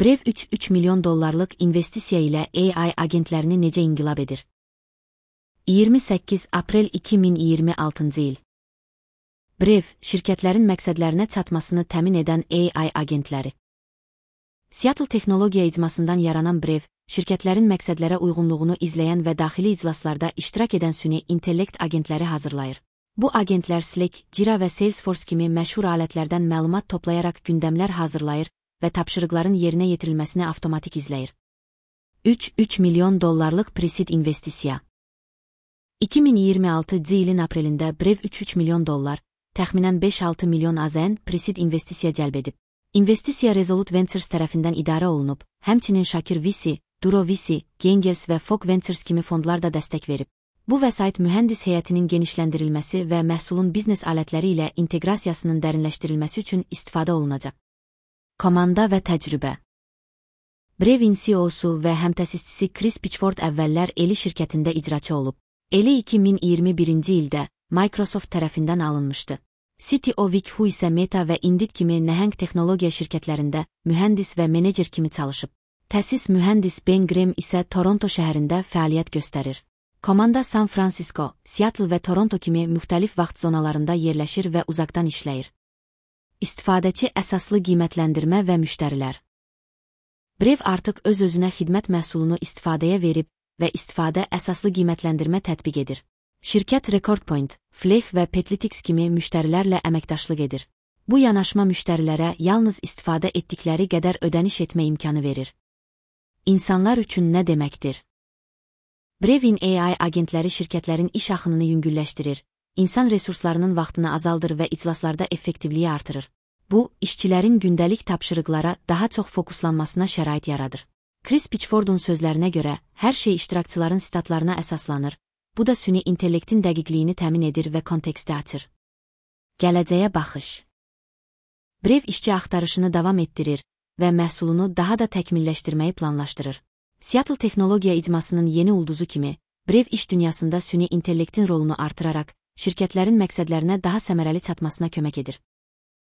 Brev 3 milyon dollarlıq investisiya ilə AI agentlərini necə inqilab edir? 28 aprel 2026-cı il. Brev, şirkətlərin məqsədlərinə çatmasını təmin edən AI agentləri. Seattle texnologiya icmasından yaranan Brev, şirkətlərin məqsədlərə uyğunluğunu izləyən və daxili iclaslarda iştirak edən süni intellekt agentləri hazırlayır. Bu agentlər Slack, Jira və Salesforce kimi məşhur alətlərdən məlumat toplayaraq gündəmlər hazırlayır və tapşırıqların yerinə yetirilməsini avtomatik izləyir. 3 milyon dollarlıq pre-seed investisiya. 2026-cı ilin aprelində Brev 3 milyon dollar, təxminən 5-6 milyon AZN pre-seed investisiya cəlb edib. İnvestisiya Resolute Ventures tərəfindən idarə olunub, həmçinin Shakir VC, Duro VC, Gengels və Fog Ventures kimi fondlar da dəstək verib. Bu vəsait mühəndis heyətinin genişləndirilməsi və məhsulun biznes alətləri ilə inteqrasiyasının dərinləşdirilməsi üçün istifadə olunacaq. Komanda və təcrübə. Brevin CEO-su və həmtəsisçisi Chris Pitchford əvvəllər Eli şirkətində icraçı olub. Eli 2021-ci ildə Microsoft tərəfindən alınmışdı. CTO Vic Hu isə Meta və Indeed kimi nəhəng texnologiya şirkətlərində mühəndis və menecer kimi çalışıb. Təsis mühəndis Ben Graham isə Toronto şəhərində fəaliyyət göstərir. Komanda San Francisco, Seattle və Toronto kimi müxtəlif vaxt zonalarında yerləşir və uzaqdan işləyir. İstifadəçi əsaslı qiymətləndirmə və müştərilər. Brev artıq öz-özünə xidmət məhsulunu istifadəyə verib və istifadə əsaslı qiymətləndirmə tətbiq edir. Şirkət Recordpoint, Flex və Petlitix kimi müştərilərlə əməkdaşlıq edir. Bu yanaşma müştərilərə yalnız istifadə etdikləri qədər ödəniş etmə imkanı verir. İnsanlar üçün nə deməkdir? Brevin AI agentləri şirkətlərin iş axınını yüngülləşdirir, insan resurslarının vaxtını azaldır və iclaslarda effektivliyi artırır. Bu, işçilərin gündəlik tapşırıqlara daha çox fokuslanmasına şərait yaradır. Chris Pitchford'un sözlərinə görə, hər şey iştirakçıların statlarına əsaslanır, bu da süni intellektin dəqiqliyini təmin edir və konteksti açır. Gələcəyə baxış. Brev işçi axtarışını davam etdirir və məhsulunu daha da təkmilləşdirməyi planlaşdırır. Seattle texnologiya icmasının yeni ulduzu kimi, Brev iş dünyasında süni intellektin rolunu artıraraq, şirkətlərin məqsədlərinə daha səmərəli çatmasına kömək edir.